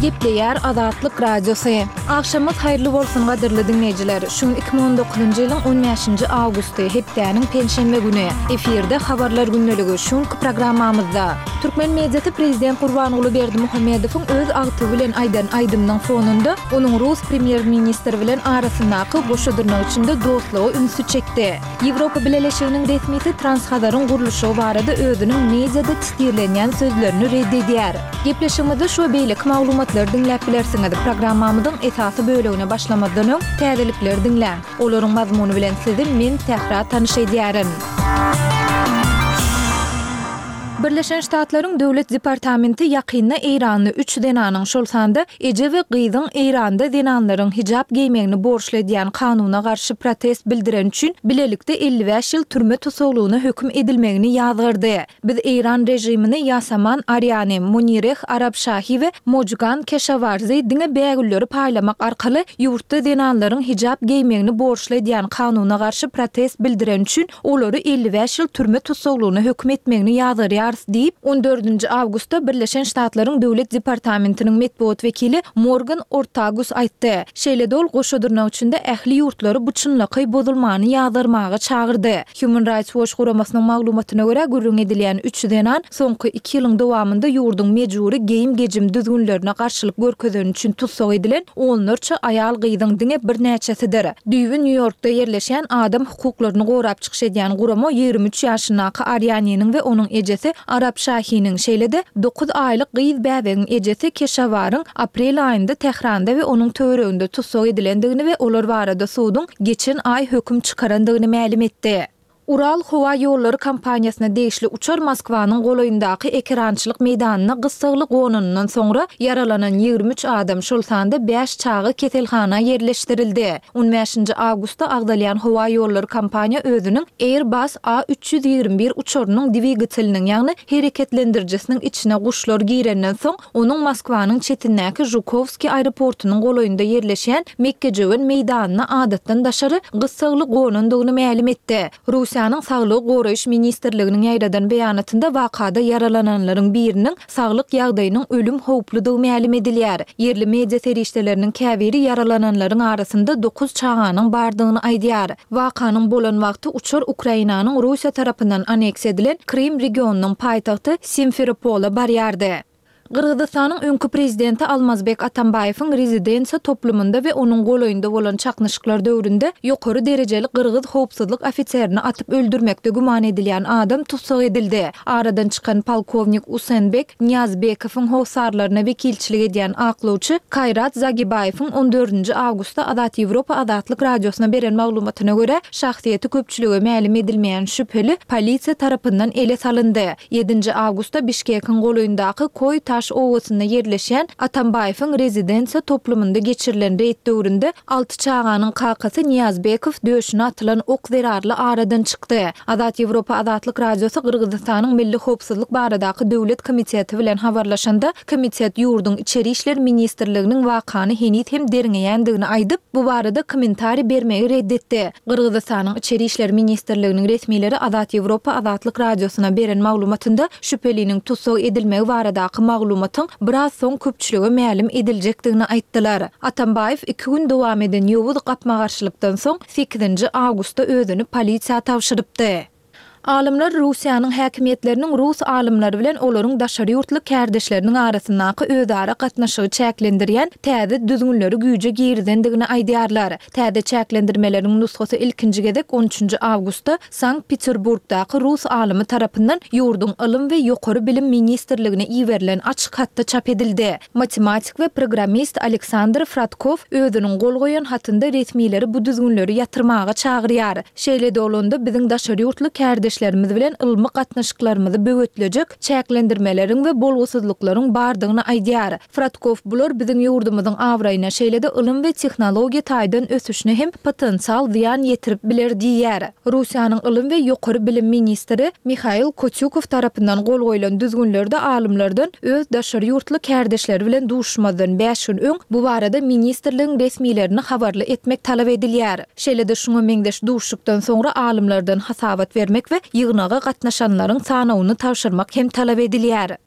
Gepleýär Azatlyk Radiosy. Agşamyňyz haýyrly bolsun gadyrly diňleýjiler! Şu gün 2019-njy ýylyň on bäşinji awgusty, hepdäniň penşenbe güni. Efirde Habarlar gündeligi, şu günki programmamyzda. Türkmen mediasy prezident Gurbanguly Berdimuhamedowyň öz agtygy bilen aýdan aýdymynyň fonunda onuň rus premýer-ministri bilen arasyndaky goşa dyrnak içinde dostluga ünsi çekdi. Ýewropa Bileleşiginiň resmisi Transhazaryň gurluşygy barada özüniň mediada titirlenýän sözlerini ret edýär. Gepleşigimizde şu we beýleki maglumatlary diňläp bilersiňiz. Programmamyzyň esasy bölegine başlamazdan öň, täzelikleri diňläň. Olaryň mazmuny bilen sizi men, Sähra tanyş edýärin. Birleşen Ştatlaryň Döwlet departamenti ýakynda eýranly üç zenanyň, şol sanda eje we gyzyň Eýranda zenanlaryň hijap geýmegini borçly edýän kanuna garşy protest bildireni üçin bilelikde 55 ýyl türme tussaglygyna höküm edilmegini ýazgardy. Biz eýran režimini Ýasaman Arýani, Munireh Arabşahi we Mojgan Keşawarzi diňe bägülleri paýlamak arkaly ýurtda zenanlaryň hijap geýmegini borçly edýän kanuna garşy protest bildireni üçin olary 55 ýyl türme tussaglygyna höküm etmegini ýazgarýarys diýip, on dördünji awgustda Birleşen Ştatlaryň Döwlet departamentiniň metbugat wekili Morgan Ortagus aýtdy. Şeýle-de ol goşa dyrnak içinde ähli ýurtlary bu çynlakaý bozulmany ýazgarmaga çagyrdy. Human Rights Watch guramasynyň maglumatyna görä, gürrüň edilýän üç zenan soňky iki ýylyň dowamynda ýurduň mejbury geýim-gejim düzgünlerine garşylyk görkezeni üçin tussag edilen onlarça aýal-gyzyň diňe birnäçesidir. Düýbi Nýu-Ýorkda ýerleşýän adam hukuklaryny gorap çykyş edýän gurama 23 ýaşyndaky Arýaniniň we onuň ejesi Arap Şahiniň, şeýle-de dokuz aýlyk gyz bäbegiň ejesi Keşawaryň aprel aýynda Tähranda we onuň töwereginde tussag edilendigini we olar barada suduň geçen aý höküm çykarandygyny mälim etdi. Ural howa ýollary kompaniýasyna degişli uçar Moskwanyň golaýyndaky ekerançylyk meýdanyna gyssagly gonanyndan soňra ýaralanan 23 adam, şol sanda bäş çaga keselhana ýerleşdirildi. On bäşinji awgustda agzalýan howa ýollary kompaniýa özüniň Airbus A 321 uçarynyň dwigateliniň, ýagny hereketlendirijisiniň içine guşlar girenden soň, Onuň Moskwanyň çetindäki Žukowskiý aeroportunyň golaýynda ýerleşýän mekgejöwen meýdanyna adatdan daşary gyssagly gonandygyny mälim etdi. Russiýanyň Saglygy goraýyş ministrliginiň ýaýradan beýanatynda wakada ýaralananlaryň biriniň saglyk ýagdaýynyň ölüm howpludygy mälim edilýär. Ýerli media serişdeleriniň käbiri ýaralananlaryň arasynda dokuz çaganyň bardygyny aýdýar. Wakanyň bolan wagty uçar Ukrainanyň Russiýa tarapyndan anneksiýa edilen Krym regionynyň paýtagty Simferopola barýardy. Gyrgyzystanyň öňki prezidenti Almazbek Atambaýewiň rezidensiýa toplumynda we onuň golaýynda bolan çaknyşyklar döwründe ýokary derejeli gyrgyz howpsuzlyk ofiserini atyp öldürmekde güman edilýän adam tussag edildi. Aradan çykan polkownik Usenbek Nyýazbekowyň hossarlaryna wekilçilik edýän aklawçy Kaýrat Zagibaýewiň on dördünji awgustda Azat Ýewropa Azatlyk Radiosyna beren maglumatyna görä, şahsyýeti köpçülige mälim edilmeýän şübheli polisiýa tarapyndan ele salyndy. Ýedinji awgustda Bişkekiň golaýyndaky Koý-Taş obasynda ýerleşýän Atambaýewiň rezidensiýa toplumynda geçirilen reýd döwründe alty çaganyň kakasy Nyýazbekow döşüne atylan ok zerarly aradan çykdy. Azat Ýewropa Azatlyk Radiosy Gyrgyzystanyň Milli howpsuzlyk baradaky döwlet komiteti bilen habarlaşanda, komitet ýurduň Içeri işler ministrliginiň wakany heniz hem derňeýändigini aýdyp, bu barada kommentariý bermegi ret etdi. Gyrgyzystanyň Içeri işler ministrliginiň resmileri Azat Ýewropa Azatlyk Radiosyna beren maglumatynda şübheliniň tussag edilmegi baradaky maglumatyň biraz soň köpçülige mälim ediljekdigini aýtdylar. Atambaýew iki gün dowam eden ýowuz gapma-garşylykdan soň sekizinji awgustda özüni polisiýa tabşyrypdy. Alymlar Russiýanyň häkimiýetleriniň rus alymlary bilen olaryň daşary ýurtly kärdeşleriniň arasyndaky özara gatnaşygy çäklendirýän täze düzgünleri güýje girizendigini aýdýarlar. Täze çäklendirmeleriň nusgasy ilkinji gezek on üçünji awgustda Sankt-Peterburgdaky rus alymy tarapyndan ýurduň Ylym we ýokary bilim ministrligine iberilen açyk hatda çap edildi. Matematik we programmist Aleksandr Fradkow özüniň gol goýan hatynda resmileri bu düzgünleri ýatyrmaga çagyrýar. Şeýle-de bolanda, biziň daşary ýurtly kärdeşlerimiz bilen ylmy gatnaşyklarymyzy böwetlejek çäklendirmeleriň we bolgusyzlyklaryň bardygyny aýdýar. Fradkow bular biziň ýurdumyzyň abraýyna, şeýle-de ylym we tehnologiýa taýdan ösüşine hem potensial zyýan ýetirip biler diýýär. Russiýanyň ylym we ýokary bilim ministri Mihail Kotýukow tarapyndan gol goýlan düzgünlerde alymlardan öz daşary ýurtly kärdeşleri bilen duşuşmazdan bäş gün öň bu barada ministrligiň resmilerini habarly etmek talap edilýär. Şeýle-de şuňa meňzeş duşuşykdan soňra alymlardan hasabat bermek we ýygnaga gatnaşanlaryň sanawyny tabşyrmak hem talap edilýär.